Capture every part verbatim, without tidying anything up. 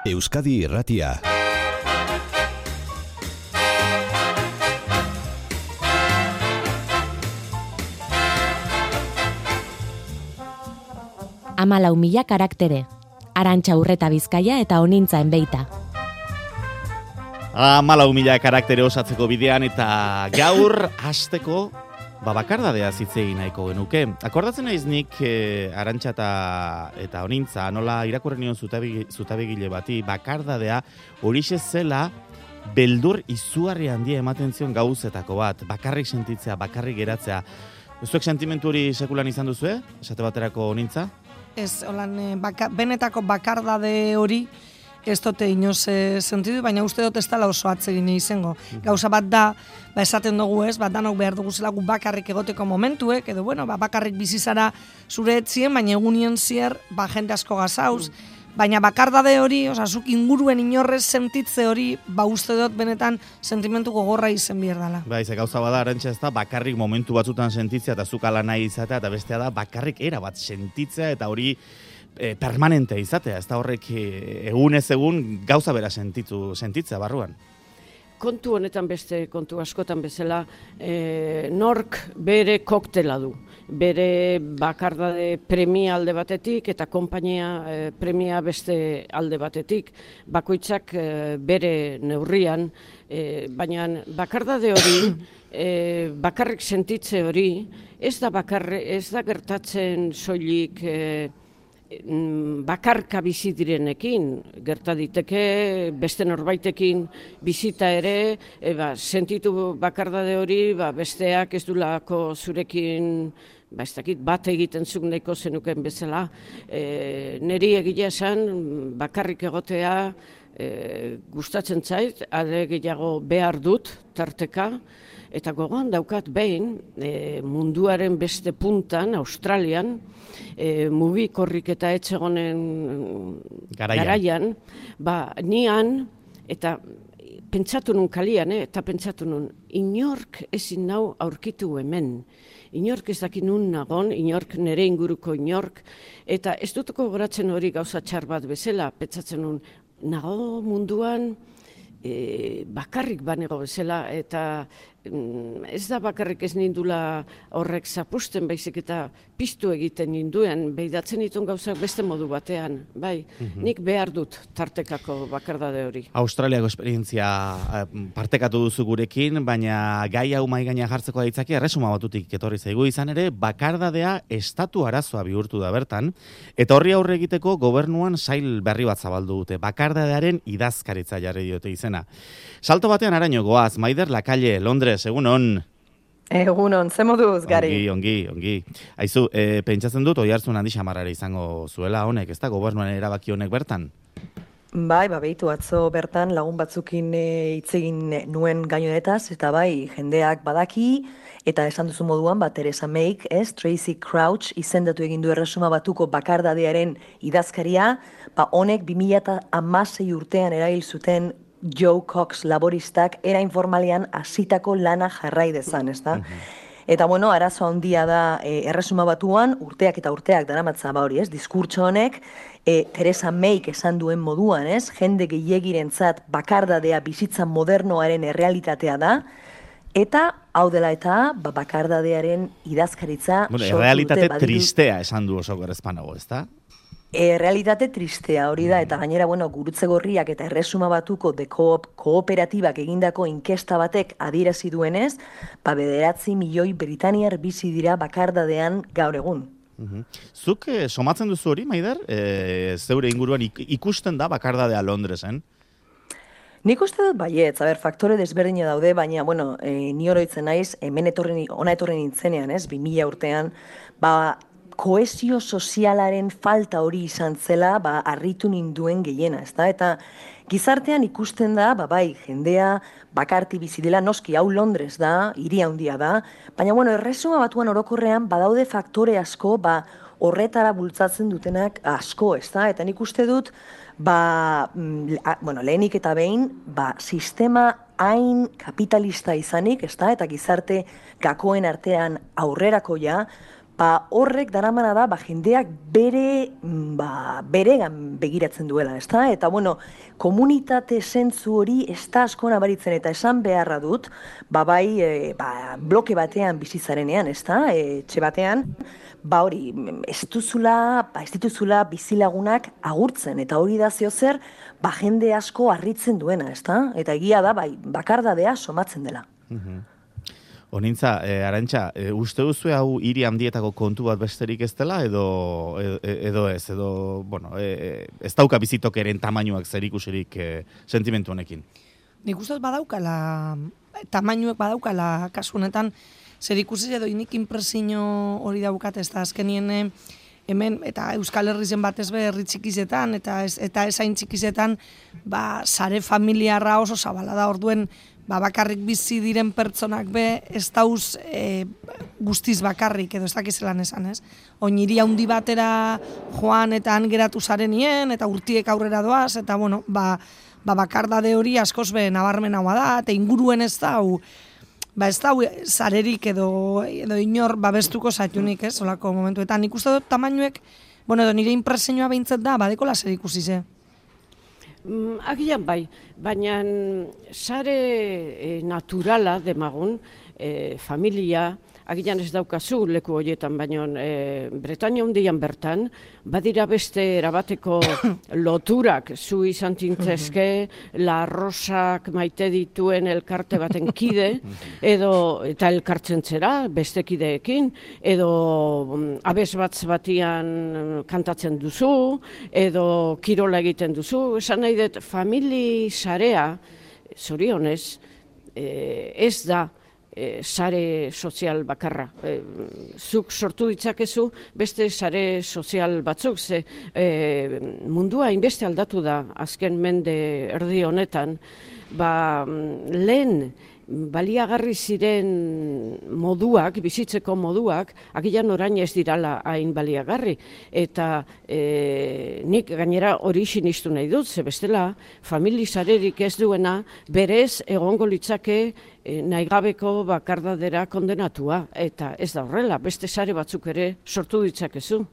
Euskadi Irratia. Hamalau mila karaktere. Arantxa Urreta Bizkaia eta Onintza Enbeita. Hamalau mila karaktere osatzeko bidean eta gaur hasteko ba bakardadea zitzei nahiko genuke. Akordatzen naiz nik e, Arantxa eta, eta Onintza nola irakurri nion zutabegile bati bakardadea horixe zela beldur izugarri handia ematen zion gauzetako bat. Bakarrik sentitzea, bakarrik geratzea. Zuek sentimentu hori sekulan izan duzue? Esate baterako Onintza? Ez, holan, baka, benetako bakardade hori ez dute inoz e, sentidu, baina uste dut ez dela oso atsegin izango. Gauza bat da, ba esaten dugu ez, bat danok behar dugu zela gu bakarrik egoteko momentuek, edo bueno, ba, bakarrik bizizara zure etzien, baina egunien zier, ba jende asko gazauz, baina bakardade hori, oza, zuk inguruen inorrez sentitze hori, ba uste dut benetan sentimentu gogorra izen behar dela. Ba, ze gauza bada, Arantxa, ez da, bakarrik momentu batzutan sentitzea eta zuk ala nahi izatea, eta bestea da, bakarrik era bat sentitzea, eta hori e, permanente izatea, ez da horrek e, egunez egun gauza bera sentitu, sentitzea barruan. Kontu honetan beste, kontu askotan bezala, e, nork bere koktela du. Bere bakardade premia alde batetik eta konpainia e, premia beste alde batetik. Bakoitzak e, bere neurrian, e, baina bakardade hori, e, bakarrik sentitze hori, ez da, bakarre, ez da gertatzen soilik e, bakarka bizi direnekin, gerta diteke beste norbaitekin bizita ere, e, ba, sentitu bakardade hori, ba, besteak ez dulako zurekin ba, ez dakit, bat egiten zuk nahiko zenuken bezala. E, neri egia esan bakarrik egotea e, gustatzen zait, are gehiago behar dut tarteka, eta gogoan daukat behin e, munduaren beste puntan, Australian, e, mugikorrik eta etxegonen garaian, garaian ba, nian, eta pentsatu nun kalian, eh, eta pentsatu nun, inork ezin nau aurkitu hemen. Inork ez daki nun nagon, inork nere inguruko inork, eta ez dutuko goratzen hori gauza txar bat bezala, pentsatzen nun, nago munduan e, bakarrik banego bezala, eta mm, ez da bakarrik ez nindula horrek zapusten, baizik eta piztu egiten ninduen, behidatzen ditun gauzak beste modu batean, bai, mm-hmm. Nik behar dut tartekako bakardade hori. Australiako esperientzia partekatu duzu gurekin, baina gai hau mai gaina jartzeko ditzaki erresuma batutik etorri zaigu izan ere, bakardadea estatu arazoa bihurtu da bertan, eta horri aurre egiteko gobernuan sail berri bat zabaldu dute, bakardadearen idazkaritza jarri diote izena. Salto batean araño goaz, Maider Lakalle, Londres, egun on. Egunon, ze moduz, Gari? Ongi, ongi, ongi. Aizu, e, pentsatzen dut, oihartzun handi xamarrara izango zuela honek, ez da, gobernuan erabaki honek bertan? Bai, ba, behitu atzo bertan lagun batzukin hitz egin nuen gainonetaz, eta bai, jendeak badaki, eta esan duzu moduan, ba, Theresa May, ez, Tracy Crouch, izendatu egin du erresuma batuko bakardadearen idazkaria, ba, honek bi mila hamasei urtean eragil zuten Joe Cox laboristak era informalean hasitako lana jarrai dezan, ez da? Eta bueno, arazo handia da e, erresuma batuan, urteak eta urteak daramatza ba hori, ez? Diskurtso honek, e, Theresa May esan duen moduan, ez? Jende gehiegirentzat bakardadea bizitza modernoaren errealitatea da, eta hau dela eta ba, bakardadearen idazkaritza bueno, sortu dute. Errealitate baditu... tristea esan du oso gerezpanago, ez da? E, realitate tristea hori da, eta gainera, bueno, Gurutze Gorriak eta Erresuma Batuko de koop, kooperatibak egindako inkesta batek adierazi duenez, ba bederatzi milioi Britaniar bizi dira bakardadean gaur egun. Uhum. Zuk eh, somatzen duzu hori, Maider? E, zeure inguruan ik- ikusten da bakardadea Londresen? Nik uste dut baietz, aber, faktore desberdina daude, baina, bueno, e, ni oroitzen naiz, hemen etorri, ona etorri nintzenean, ez, bi mila urtean, ba, kohesio sozialaren falta hori izan zela, ba, harritu ninduen gehiena, ezta? Eta gizartean ikusten da, ba, bai, jendea bakarti bizi dela, noski hau Londres da, hiri handia da, baina, bueno, erresuma batuan orokorrean badaude faktore asko, ba, horretara bultzatzen dutenak asko, ezta? Eta nik uste dut, ba, bueno, lehenik eta behin, ba, sistema hain kapitalista izanik, ezta? Eta gizarte gakoen artean aurrerakoia, ba, horrek daramana da, ba, jendeak bere, ba, beregan begiratzen duela, ezta? Eta, bueno, komunitate zentzu hori ez da asko nabaritzen, eta esan beharra dut, ba, bai, e, ba, bloke batean bizizarenean, ezta? E, etxe batean, ba, hori, ez duzula, ba, ez dituzula bizilagunak agurtzen, eta hori da zeo zer, ba, jende asko harritzen duena, ezta? Eta egia da, bai, bakardadea somatzen dela. Honintza, eh, Arantxa, eh, uste duzu hau hiri handietako kontu bat besterik ez dela, edo, edo, edo ez, edo, bueno, eh, ez dauka bizitokeren tamainuak zerikusirik eh, sentimentu honekin? Nik uste badaukala, tamainuek badaukala kasunetan, zerikusi edo inik impresio hori daukat, ez da azkenien hemen, eta Euskal Herrizen batez be herri txikizetan, eta ez, eta esain txikizetan, ba, sare familiarra oso zabala da, orduen, ba, bakarrik bizi diren pertsonak be, ez dauz e, guztiz bakarrik, edo ez dakizelan esan, ez? Oiniri handi batera joan eta han geratu zarenien, eta urtiek aurrera doaz, eta bueno, ba, ba bakardade hori askoz be nabarmenagoa da, eta inguruen ez da, hau, ba ez da, zarerik edo, edo inor babestuko zaitunik, ez, olako momentuetan. Nik uste dut tamainuek, bueno, edo nire impresioa behintzat da, badeko laser ikusi ze. Mm, agian bai, baina sare e, naturala demagun, e, familia, agian ez daukazu leku horietan, baina e, Bretaña hundian bertan, badira beste erabateko loturak zu izan tintzezke, La Rosak maite dituen elkarte baten kide, edo eta elkartzen zera beste kideekin, edo abes batz batian kantatzen duzu, edo kirola egiten duzu, esan nahi dut, famili sarea, zorionez, e, ez da, E, sare sozial bakarra. E, zuk sortu ditzakezu beste sare sozial batzuk, ze e, mundua inbeste aldatu da azken mende erdi honetan, ba, lehen baliagarri ziren moduak, bizitzeko moduak, agian orain ez dirala hain baliagarri. Eta e, nik gainera hori sinistu nahi dut, ze bestela familizarerik ez duena berez egongo litzake e, nahigabeko bakardadera kondenatua. Eta ez da horrela, beste sare batzuk ere sortu ditzakezu.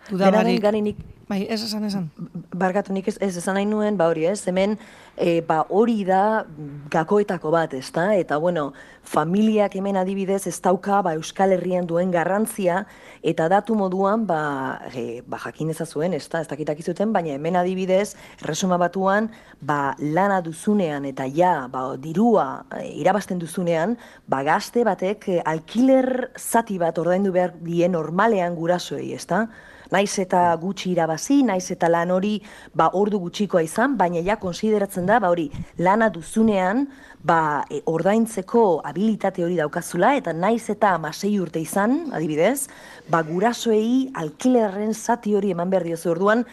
Dudabarik ganinik, bai, ez esan esan. Barkatu nik ez, ez esan nahi nuen, ba hori ez, hemen e, ba hori da gakoetako bat, ez da? Eta bueno, familiak hemen adibidez ez dauka ba, Euskal Herrian duen garrantzia, eta datu moduan ba, e, ba jakin ezazuen, ez da? Ez dakitak izuten, baina hemen adibidez, Erresuma Batuan, ba lana duzunean eta ja, ba dirua e, irabazten duzunean, ba gazte batek e, alkiler zati bat ordaindu behar die normalean gurasoei, ez da? Naiz eta gutxi irabazi, naiz eta lan hori ba ordu gutxikoa izan, baina ja konsideratzen da ba hori lana duzunean ba e, ordaintzeko habilitate hori daukazula, eta naiz eta hamasei urte izan, adibidez, ba gurasoei alkilerren zati hori eman behar diozu. Orduan,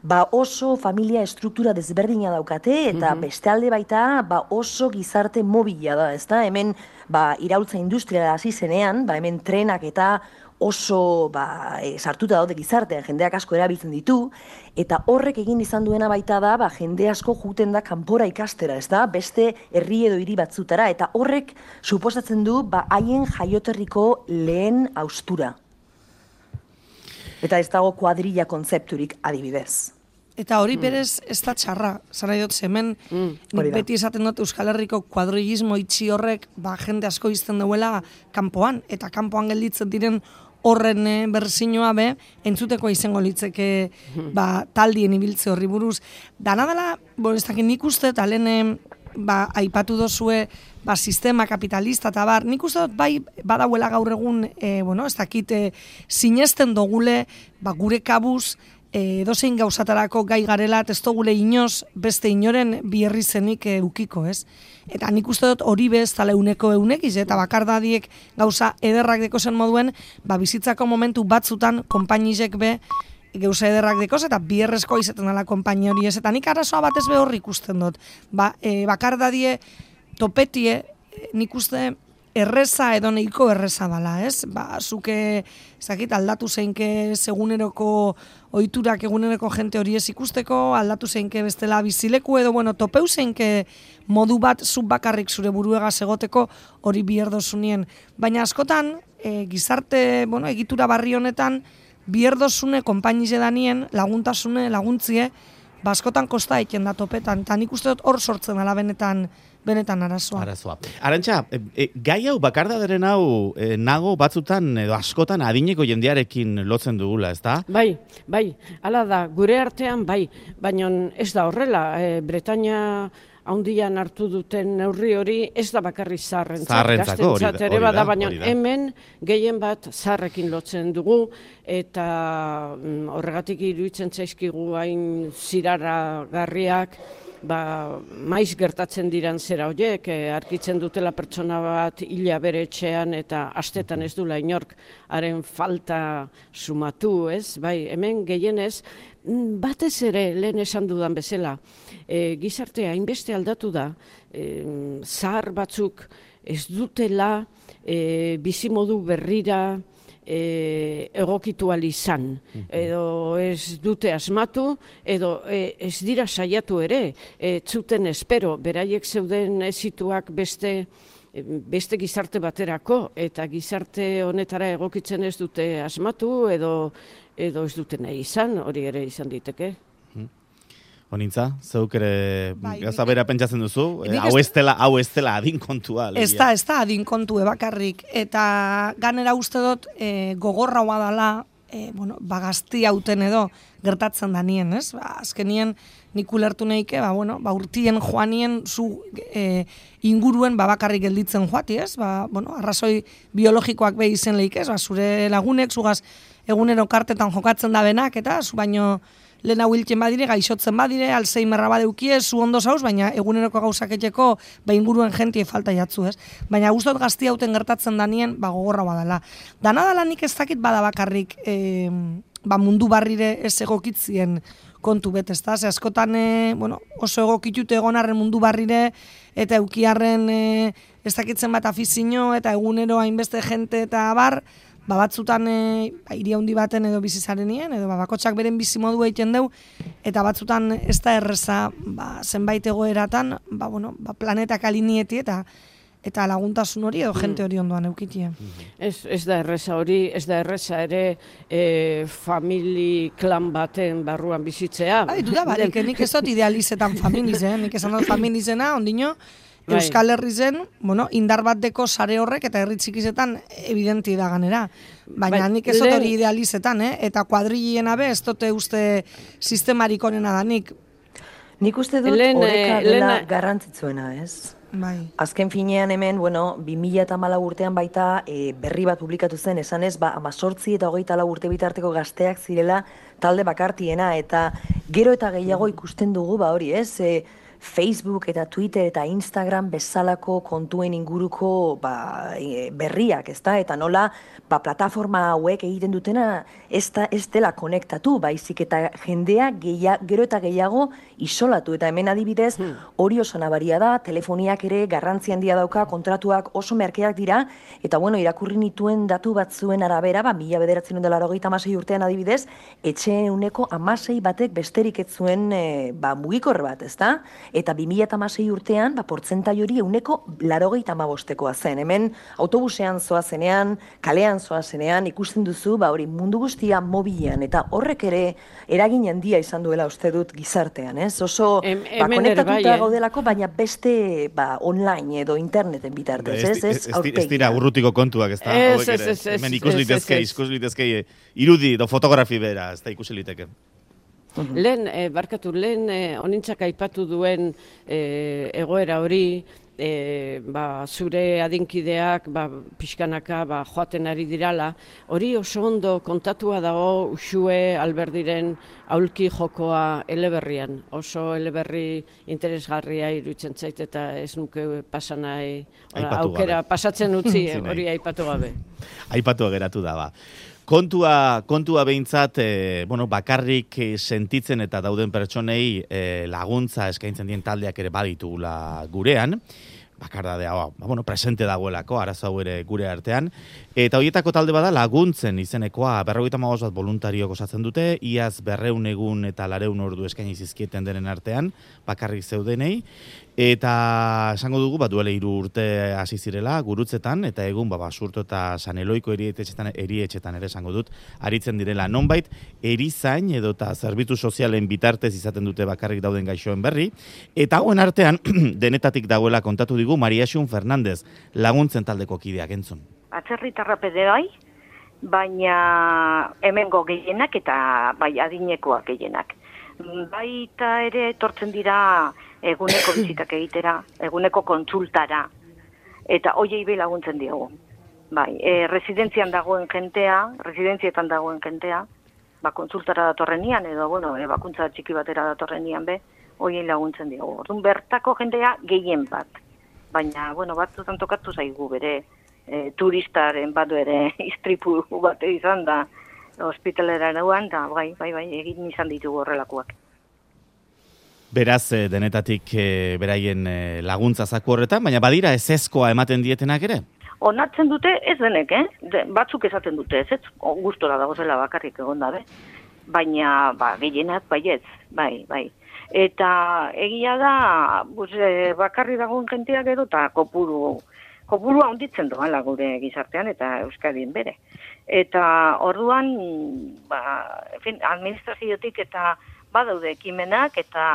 ba oso familia estruktura desberdina daukate, eta mm-hmm. beste alde baita ba oso gizarte mobila da, ezta? Hemen ba iraultza industriala hasi zenean, ba hemen trenak eta oso ba, e, sartuta daude gizartean, jendeak asko erabiltzen ditu, eta horrek egin izan duena baita da, ba, jende asko juten da kanpora ikastera, ez da, beste herri edo hiri batzutara, eta horrek suposatzen du ba, haien jaioterriko lehen haustura. Eta ez dago kuadrilla kontzepturik adibidez. Eta hori berez ez da txarra, zara dut, hemen mm, nik beti esaten dut Euskal Herriko kuadrillismo itxi horrek ba, jende asko izten duela kanpoan, eta kanpoan gelditzen diren horren e, berzinoa be, entzuteko izango litzeke ba, taldien ibiltze horri buruz. Dana dela, bon, ez dakit nik uste, eta lehen ba, aipatu dozue ba, sistema kapitalista, eta bar, nik uste dut bai badauela gaur egun, e, bueno, ez dakit, e, sinesten dogule, ba, gure kabuz, edozein gauzatarako gai garela, ez dugule inoz beste inoren bierri zenik eukiko, ez? Eta nik uste dut hori bez, tala euneko eunekiz, eta bakardadiek gauza ederrak deko zen moduen, ba, bizitzako momentu batzutan konpainizek be, gauza ederrak dekoz, eta bierrezko izaten dela konpaini hori ez, eta nik arazoa batez be horri ikusten dut. Ba, e, bakardadie, topetie, nik uste erreza edo nahiko erreza dala, ez? Ba, zuke, ezakit, aldatu zeinke seguneroko ohiturak eguneroko jente hori ez ikusteko, aldatu zeinke bestela bizileku edo, bueno, topeu zeinke modu bat zuk bakarrik zure buruegaz egoteko hori bierdozunien. Baina askotan, e, gizarte, bueno, egitura barri honetan, bierdozune konpainize danien, laguntasune, laguntzie, baskotan kosta egiten da topetan, eta nik uste dut hor sortzen ala benetan, benetan arazoa. Arazoa. Arantxa, e, e, gai hau, bakardaderen hau, e, nago batzutan edo askotan adineko jendearekin lotzen dugula, ez da? Bai, bai, hala da, gure artean bai, baina ez da horrela, e, Bretaña haundian hartu duten neurri hori ez da bakarri zaharrentzat, gaztentzat ere bada, baina hemen gehien bat zaharrekin lotzen dugu, eta mm, horregatik iruditzen zaizkigu hain ziraragarriak, ba, maiz gertatzen diran zera horiek, e, arkitzen dutela pertsona bat hila bere etxean eta astetan ez dula inork haren falta sumatu, ez? Bai, hemen gehienez, batez ere lehen esan dudan bezala, e, gizartea hainbeste aldatu da, e, zahar batzuk ez dutela e, bizimodu berrira E, egokitu izan, edo ez dute asmatu, edo e, ez dira saiatu ere, e, zuten espero, beraiek zeuden ezituak beste, beste gizarte baterako, eta gizarte honetara egokitzen ez dute asmatu, edo, edo ez dute nahi izan, hori ere izan diteke. Honintza, zeuk ere bai, gauza bera pentsatzen duzu, eh, hau ez dela, hau ez dela adin kontua. Ez da, ez da adin kontu bakarrik, eta ganera uste dut e, gogorra hoa dela, e, bueno, bagazti hauten edo gertatzen da nien, ez? Ba, azkenien nik ulertu nahike, ba, bueno, ba, urtien joanien zu e, inguruen ba, bakarrik gelditzen joati, ez? Ba, bueno, arrazoi biologikoak behi izen lehik, ez? Ba, zure lagunek, zugaz egunero kartetan jokatzen da benak, eta zu baino lehen hau hiltzen badire, gaixotzen badire, Alzheimerra badeukie, zu ondo zauz, baina eguneroko gauzaketeko ba inguruen jentie falta jatzu, ez? Baina guztot gazti hauten gertatzen danien, ba gogorra badala. Dana dala nik ez dakit bada bakarrik e, ba mundu barrire ez egokitzien kontu bet, ez da? Ze askotan e, bueno, oso egokitute egonarren mundu barrire, eta eukiarren e, ez dakitzen bat afizio, eta egunero hainbeste jente eta bar, ba batzutan e, ba, hiri handi baten edo bizizarenien, edo ba, bakotxak beren bizimodu egiten deu, eta batzutan ez da erreza ba, zenbait egoeratan, ba, bueno, ba, planetak alinieti eta eta laguntasun hori edo jente hori ondoan eukitie. Ez, ez da erreza hori, ez da erreza ere e, famili klan baten barruan bizitzea. Ba, ditu da, barik, nik ez dut idealizetan familizen, nik esan dut familizena, ondino, Bai. Euskal Herri zen, bueno, indar bat deko sare horrek eta herri txikizetan evidenti da ganera. Baina nik ez dut hori idealizetan, eh? Eta kuadrilien abe ez dute uste sistemarik onena danik. Nik uste dut Lehen, horreka eh, dela lehen- garrantzitsuena, ez? Bai. Azken finean hemen, bueno, bi mila hamalau urtean baita e, berri bat publikatu zen, esanez, ba, amazortzi eta hogeita lau urte bitarteko gazteak zirela talde bakartiena, eta gero eta gehiago ikusten dugu, ba hori, ez? E, Facebook eta Twitter eta Instagram bezalako kontuen inguruko ba, e, berriak, ezta? Eta nola ba, plataforma hauek egiten dutena ez, da, ez dela konektatu, baizik eta jendea geia, gero eta gehiago isolatu. Eta hemen adibidez, hori oso nabaria da, telefoniak ere garrantzi handia dauka, kontratuak oso merkeak dira, eta bueno, irakurri nituen datu batzuen arabera, ba, mila bederatzen dela laurogeita hamasei urtean adibidez, etxeen uneko hamasei batek besterik ez zuen e, ba, mugikor bat, ezta? Eta bi mila hamasei urtean, ba, portzentai hori euneko laurogeita hamabostekoa zen. Hemen autobusean zoazenean, kalean zoazenean, ikusten duzu, ba, hori mundu guztia mobilean, eta horrek ere eragin handia izan duela uste dut gizartean, ez? Oso Hem- ba, hemen ere bai, konektatuta eh? gaudelako, baina beste ba, online edo interneten bitartez, ez? Ez, Ez di- ez dira urrutiko kontuak, ez da? Ez, Hauek ez, ere. ez, ez, Hemen ikus ez, litezke, ez, ez. ikus litezke irudi edo fotografi bera, ez da ikusi liteke. Lehen, eh, barkatu, lehen eh, honintzak aipatu duen eh, egoera hori, eh, ba, zure adinkideak ba, pixkanaka ba, joaten ari dirala, hori oso ondo kontatua dago Uxue Alberdiren aulki jokoa eleberrian. Oso eleberri interesgarria iruditzen zait eta ez nuke pasanai Aipatu aukera gabe. pasatzen utzi Utzi nahi. hori aipatu gabe. Aipatu geratu da, ba. Kontua, kontua behintzat, e, bueno, bakarrik eh, sentitzen eta dauden pertsonei e, laguntza eskaintzen dien taldeak ere baditugula gurean, bakardadea, ba, bueno, presente dagoelako, arazo hau ere gure artean. Eta horietako talde bada laguntzen izenekoa, berrogeita hamabost bat voluntariok osatzen dute, iaz berreun egun eta lareun ordu eskaini zizkieten denen artean, bakarrik zeudenei. Eta esango dugu, bat duele hiru urte hasi zirela, gurutzetan, eta egun, ba, Basurto eta San Eloiko erietxetan, erietxetan ere esango dut, aritzen direla. Nonbait, erizain edo eta zerbitzu sozialen bitartez izaten dute bakarrik dauden gaixoen berri, eta hauen artean, denetatik dagoela kontatu digu, Maria Xun Fernandez, laguntzen taldeko kideak entzun. Atzerritarra pede bai, baina hemengo gehienak eta bai adinekoak gehienak. Baita ere etortzen dira eguneko bizitak egitera, eguneko kontsultara, eta hoiei be laguntzen diogu. Bai, e, residentzian dagoen jentea, residentzietan dagoen jentea, ba, kontsultara datorrenian, edo, bueno, e, bakuntza txiki batera datorrenian be, hoiei laguntzen diogu. Orduan, bertako jendea gehien bat, baina, bueno, batzutan tokatu zaigu bere, e, turistaren bat ere istripu bat izan da, ospitalera nauan, da, bai, bai, bai, egin izan ditugu horrelakoak. Beraz, denetatik e, beraien e, laguntza zaku horretan, baina badira ezezkoa ematen dietenak ere? Onartzen dute ez denek, eh? De, batzuk esaten dute ez, ez? Gustora dago zela bakarrik egon dabe. Baina, ba, gehienak baietz, bai, bai. Eta egia da, buz, e, bakarri dagoen jentea gero, eta kopuru, kopurua handitzen doala gure gizartean, eta Euskadin bere. Eta orduan, ba, en fin, administraziotik eta badaude ekimenak eta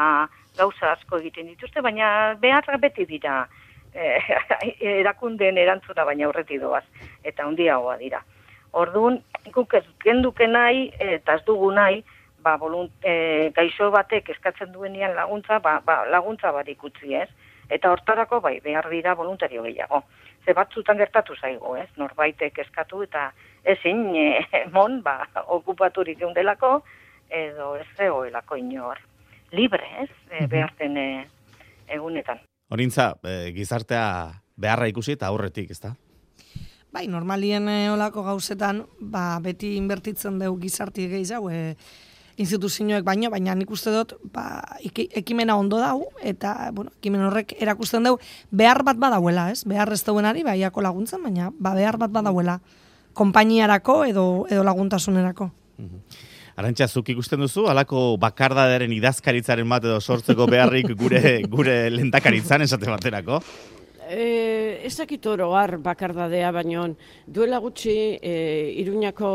gauza asko egiten dituzte, baina beharra beti dira eh, erakundeen erantzuna baina aurretik doaz, eta handiagoa dira. Orduan, guk ez genduke nahi, eta ez dugu nahi, ba, volunt, e, gaixo batek eskatzen duenean laguntza, ba, ba, laguntza barik utzi ez, eta hortarako bai, behar dira voluntario gehiago. Ze batzutan gertatu zaigu, ez, norbaitek eskatu eta ezin e, mon, ba, okupaturik eundelako, edo ez zegoelako inor libre, ez, e, beharten e, egunetan. Horintza, e, gizartea beharra ikusi eta aurretik, ezta? Bai, normalien e, olako gauzetan, ba, beti inbertitzen dugu gizarti gehiago, e, instituzioek baino, baina nik uste dut, ba, ekimena ondo dau, eta, bueno, ekimen horrek erakusten dugu, behar bat badauela, ez? Behar ez dauenari, baiako laguntzen, baina, ba, behar bat badauela, konpainiarako edo, edo laguntasunerako. Mhm. Arantxa, zuk ikusten duzu, halako bakardadearen idazkaritzaren bat edo sortzeko beharrik gure gure lehendakaritzan esate baterako? E, ez dakit oro har bakardadea, baino duela gutxi e, Iruñako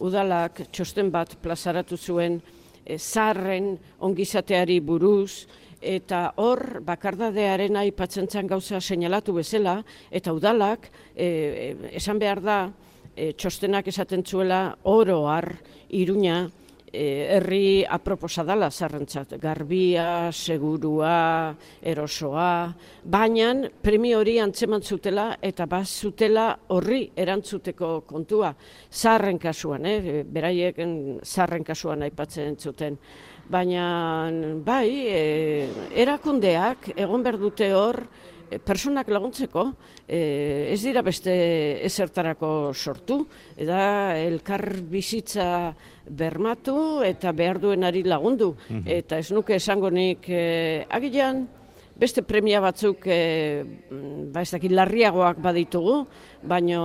udalak txosten bat plazaratu zuen e, zaharren ongizateari buruz, eta hor bakardadearen aipatzen zan gauza seinalatu bezala, eta udalak e, esan behar da, e, txostenak esaten zuela oro har Iruña herri aproposa dala zarrentzat, garbia, segurua, erosoa, baina premio hori antzeman zutela eta baz zutela horri erantzuteko kontua, zaharren kasuan, eh? Beraiek zaharren kasuan aipatzen zuten. Baina bai, eh, erakundeak egon behar dute hor, personak laguntzeko, eh, ez dira beste ezertarako sortu, eta elkar bizitza bermatu eta behar duenari lagundu. Mm-hmm. Eta ez nuke esango nik, eh, agian, beste premia batzuk eh, ba ez dakit larriagoak baditugu, baina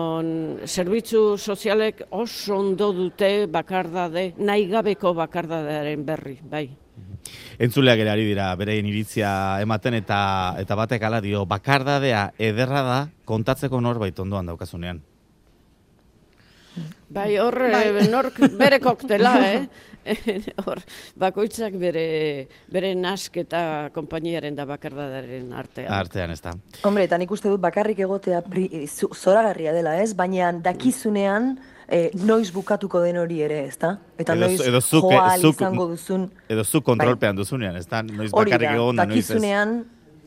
zerbitzu sozialek oso ondo dute bakardade, nahi gabeko bakardadearen berri, bai. Entzuleak ere ari dira bereien iritzia ematen eta eta batek hala dio, bakardadea ederra da kontatzeko norbait ondoan daukazunean. Bai, hor bai. Nork bere koktela, eh? Hor, bakoitzak bere, bere nask eta konpainiaren da bakardadaren artean. Artean, ez da. Hombre, eta nik uste dut bakarrik egotea pri, zoragarria dela, ez? Baina dakizunean eh, noiz bukatuko den hori ere, ez da? Eta edo, noiz edo zuk, joa zuk, izango duzun... Edo zuk kontrolpean bai. Duzunean, ez da? Noiz bakarrik egon da, noiz ez. Dakizunean,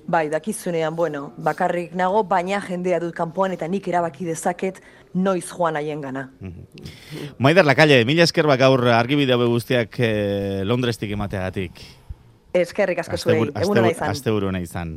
bai, dakizunean, bueno, bakarrik nago, baina jendea dut kanpoan eta nik erabaki dezaket noiz joan haien gana. Mm-hmm. Maider Lakalle, mila esker bak gaur argibide hau guztiak eh, Londrestik emateagatik. Eskerrik asko zuei, eguna nahi izan. Aste buru nahi izan.